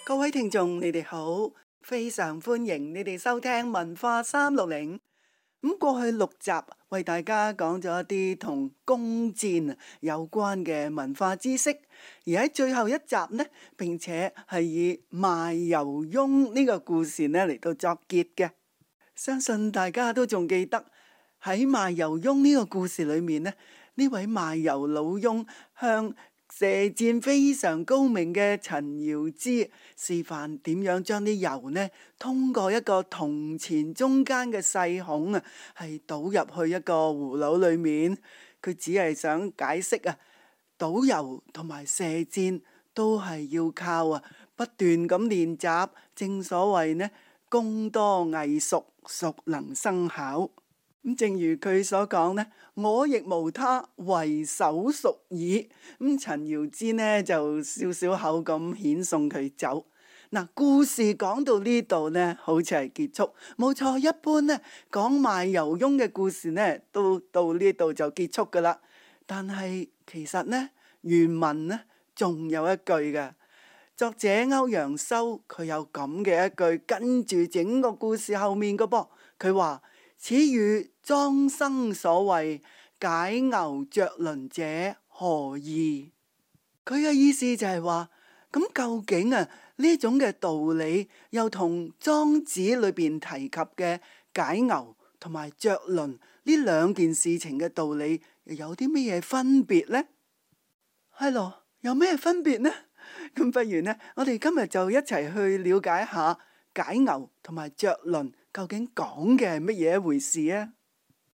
各位聽眾，你哋好，非常歡迎你哋收聽文化360。過去6集為大家講咗一啲同弓箭有關嘅文化知識，而喺最後一集呢，並且係以賣油翁呢個故事呢嚟到作結嘅。相信大家都仲記得喺賣油翁呢個故事裏面呢，呢位賣油老翁向射箭非常高明嘅陳堯之示範點樣將啲油呢通過一個銅錢中間嘅細孔啊，係倒入去一個葫蘆裏面。佢只係想解釋啊，倒油同埋射箭都係要靠不斷咁練習。正所謂呢，功多藝熟，熟能生巧。正如佢所講呢，我亦無他，唯手熟耳。陳堯之呢就笑笑口咁遣送佢走。故事講到呢度呢，好似係結束。冇錯，一般呢講賣油翁嘅故事呢，都到呢度就結束噶啦。但係其實呢，原文呢仲有一句嘅。作者歐陽修佢有咁嘅一句跟住整個故事後面嘅噃，佢話：此語莊生所謂解牛着輪者何意？佢嘅意思就係話，咁究竟呢種嘅道理又同莊子裏邊提及嘅解牛同埋着輪呢兩件事情嘅道理又有啲咩嘢分別呢？係咯，有咩分別呢？咁不如呢，我哋今日就一齊去了解下解牛同埋着輪究竟講嘅係乜嘢一回事啊？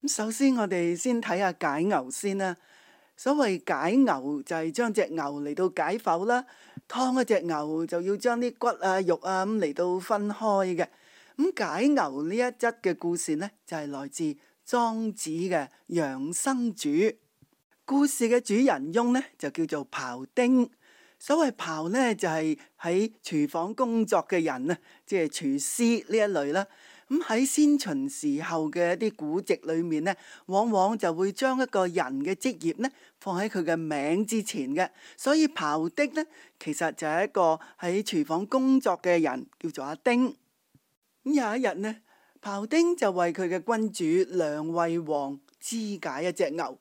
首先我哋先睇下解牛先啦。所謂解牛就係將隻牛嚟到解剖啦，劏一隻牛就要將啲骨啊肉啊咁嚟到分開嘅。解牛呢一則嘅故事呢，就係來自莊子嘅養生主。故事嘅主人翁呢，就叫做庖丁。所謂庖呢，就係喺廚房工作嘅人啊，即係廚師呢一類啦。喺先秦時候嘅一啲古籍裏面呢，往往就會將一個人嘅職業呢放喺佢嘅名之前嘅。所以庖丁呢，其實就係一個喺廚房工作嘅人，叫做阿丁。有一日呢，庖丁就為佢嘅君主梁惠王肢解一隻牛，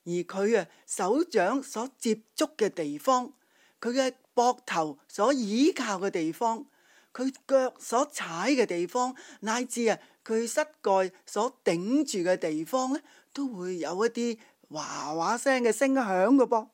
而佢手掌所接觸嘅地方，佢嘅膊頭所倚靠嘅地方，佢腳所踩嘅地方，乃至佢膝蓋所頂住嘅地方呢，都會有一啲嘩嘩聲嘅聲響嘅噃。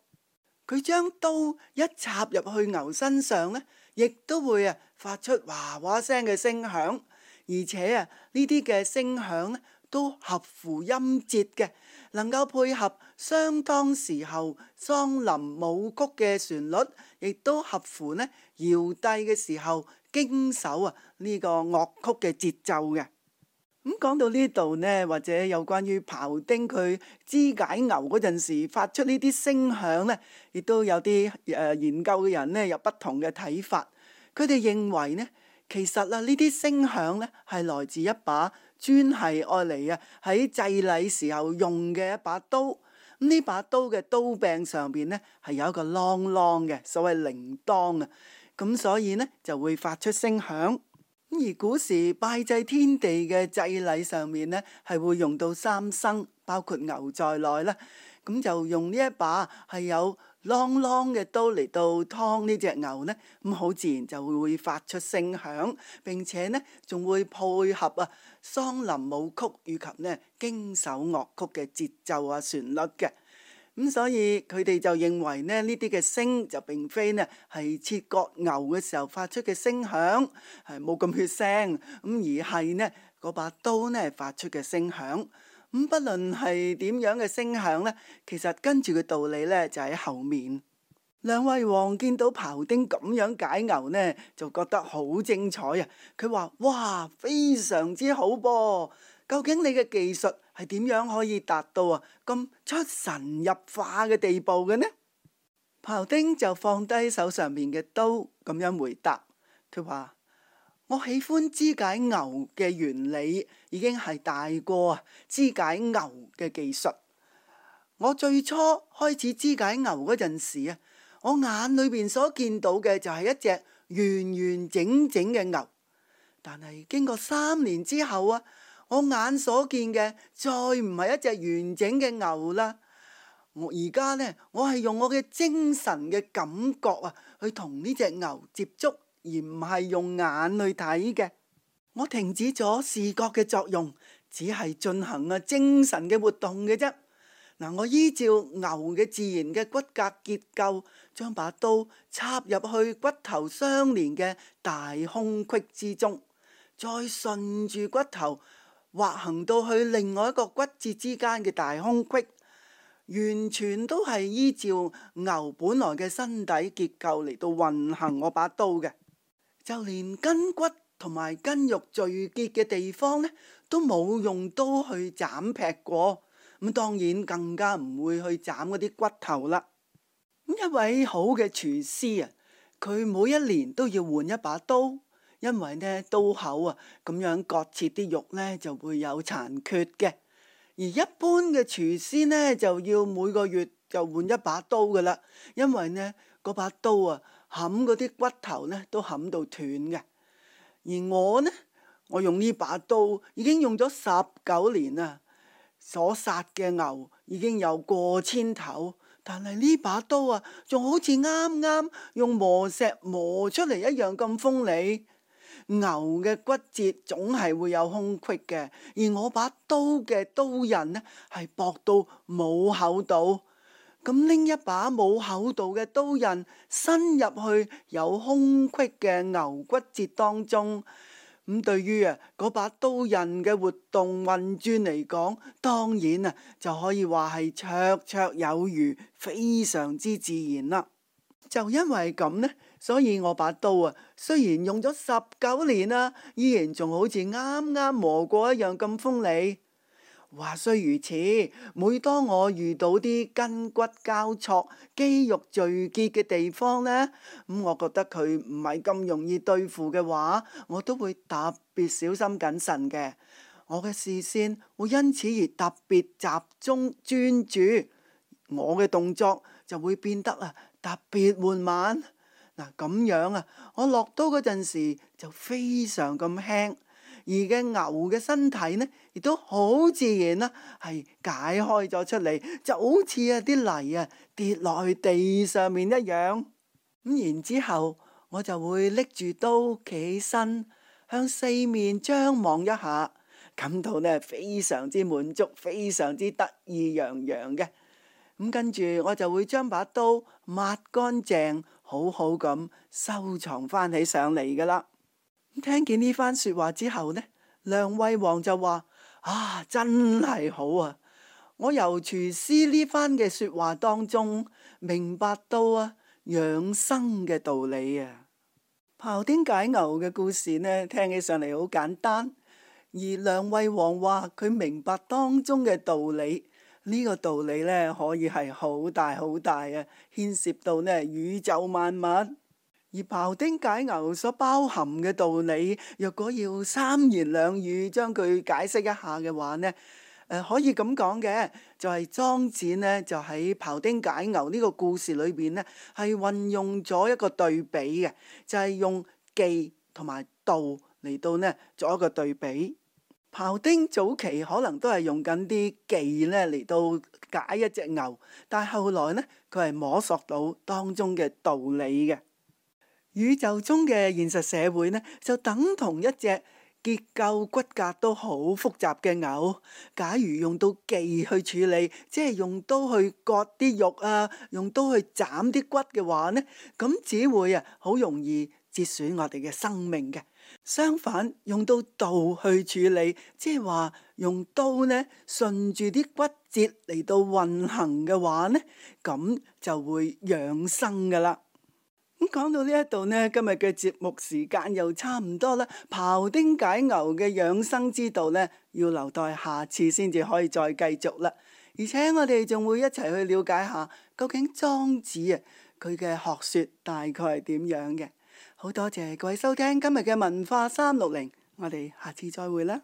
佢將刀一插入去牛身上呢，亦都會發出嘩嘩聲嘅聲響，而且呢啲嘅聲響呢，都合乎音節嘅，能夠配合相當時候桑林舞曲嘅旋律，亦都合乎呢堯帝嘅時候經手呢個樂曲嘅節奏嘅。講到呢度呢，或者有關於庖丁佢肢解牛嗰陣時發出呢啲聲響呢，亦都有啲研究嘅人呢有不同嘅睇法。佢哋認為呢，其實呢啲聲響呢係來自一把專係愛嚟喺祭禮時候用嘅一把刀。呢把刀嘅刀柄上邊呢係有一個啷啷嘅，所謂鈴鐺啊。咁所以呢就會發出聲響。而古時拜祭天地嘅祭禮上面呢，係會用到三牲，包括牛在內啦。咁就用呢一把係有啷啷嘅刀嚟到劏呢隻牛呢，咁好自然就會發出聲響，並且呢仲會配合桑林舞曲以及呢經手樂曲嘅節奏旋律嘅。咁所以佢哋就認為呢啲嘅聲就並非呢係切割牛嘅時候發出嘅聲響，係冇咁血腥，咁而係呢嗰把刀呢發出嘅聲響。不論係點樣嘅聲響呢，其實跟住嘅道理呢就喺後面。梁惠王見到庖丁咁樣解牛呢，就覺得好精彩啊！佢話：哇，非常之好噃！究竟你嘅技術係點樣可以達到咁出神入化嘅地步嘅呢？庖丁就放低手上面嘅刀，咁樣回答。佢話：我喜歡肢解牛嘅原理，已經係大過肢解牛嘅技術。我最初開始肢解牛嗰陣時我眼裏邊所見到嘅就係一隻完完整整嘅牛。但係經過3年之後啊，我眼所見嘅再唔係一隻完整嘅牛啦。我而家呢，我係用我嘅精神嘅感覺啊，去同呢隻牛接觸，而唔係用眼去睇嘅。我停止咗視覺嘅作用，只係進行精神嘅活動嘅啫。嗱，我依照牛嘅自然嘅骨骼結構，將把刀插入去骨頭相連嘅大空隙之中，再順住骨頭滑行到去另外一個骨節之間嘅大空隙，完全都係依照牛本來嘅身體結構嚟到運行我把刀嘅，就連筋骨同埋筋肉聚結嘅地方呢，都冇用刀去斬劈過。咁當然更加唔會去斬嗰啲骨頭啦。咁一位好嘅廚師啊，佢每一年都要換一把刀，因為呢刀口啊咁樣割切啲肉呢就會有殘缺嘅。而一般嘅廚師呢就要每個月就換一把刀噶啦，因為呢嗰把刀啊冚嗰啲骨頭呢都冚到斷嘅。而我呢，我用呢把刀已經用咗19年啦。所殺嘅牛已經有過千頭，但係呢把刀啊，仲好似啱啱用磨石磨出嚟一樣咁鋒利。牛嘅骨節總係會有空隙嘅，而我把刀嘅刀刃呢係薄到冇厚度。咁拎一把冇厚度嘅刀刃伸入去有空隙嘅牛骨節當中。咁對於嗰把刀刃嘅活動運轉嚟講，當然就可以話係綽綽有餘，非常之自然啦。就因為咁呢，所以我把刀雖然用咗19年啦，依然仲好似啱啱磨過一樣咁鋒利。話雖如此，每當我遇到啲筋骨交錯、肌肉聚結嘅地方呢，我覺得佢唔係咁容易對付嘅話，我都會特別小心謹慎嘅。我嘅視線會因此而特別集中專注，我嘅動作就會變得特別緩慢。嗱，咁樣我落刀嗰陣時就非常咁輕。而嘅牛嘅身體呢，亦都好自然啦，係解開咗出嚟，就好似啲泥跌落去地上面一樣。咁然之後，我就會拎住刀企起身，向四面張望一下，感到呢非常之滿足，非常之得意洋洋嘅。咁跟住我就會將把刀抹乾淨，好好咁收藏翻起上嚟噶啦。聽見呢番說話之後呢，梁惠王就話：真係好啊！我由廚師呢番嘅說話當中明白到養生嘅道理啊。庖丁解牛嘅故事呢，聽起上嚟好簡單，而梁惠王話佢明白當中嘅道理，呢個道理呢，可以係好大好大啊，牽涉到呢宇宙萬物。而庖丁解牛所包含嘅道理，若果要三言兩語將佢解釋一下嘅話呢，可以咁講嘅，就係莊子呢，就喺庖丁解牛呢個故事裏邊呢，係運用咗一個對比嘅，就係用技同埋道嚟到呢做一個對比。庖丁早期可能都係用緊啲技呢嚟到解一隻牛，但係後來呢，佢係摸索到當中嘅道理嘅。宇宙中嘅現實社會呢，就等同一隻結構骨骼都好複雜嘅牛。假如用到技去處理，即係用刀去割啲肉用刀去斬啲骨嘅話呢，咁只會好容易折損我哋嘅生命嘅。相反，用到道去處理，即係話用刀呢順住啲骨節嚟到運行嘅話呢，咁就會養生噶啦。咁講到呢一度呢，今日嘅節目時間又差唔多啦。庖丁解牛嘅養生之道呢，要留待下次先至可以再繼續啦。而且我哋仲會一齊去了解下，究竟莊子佢嘅學說大概係點樣嘅。好多謝各位收聽今日嘅文化360，我哋下次再會啦。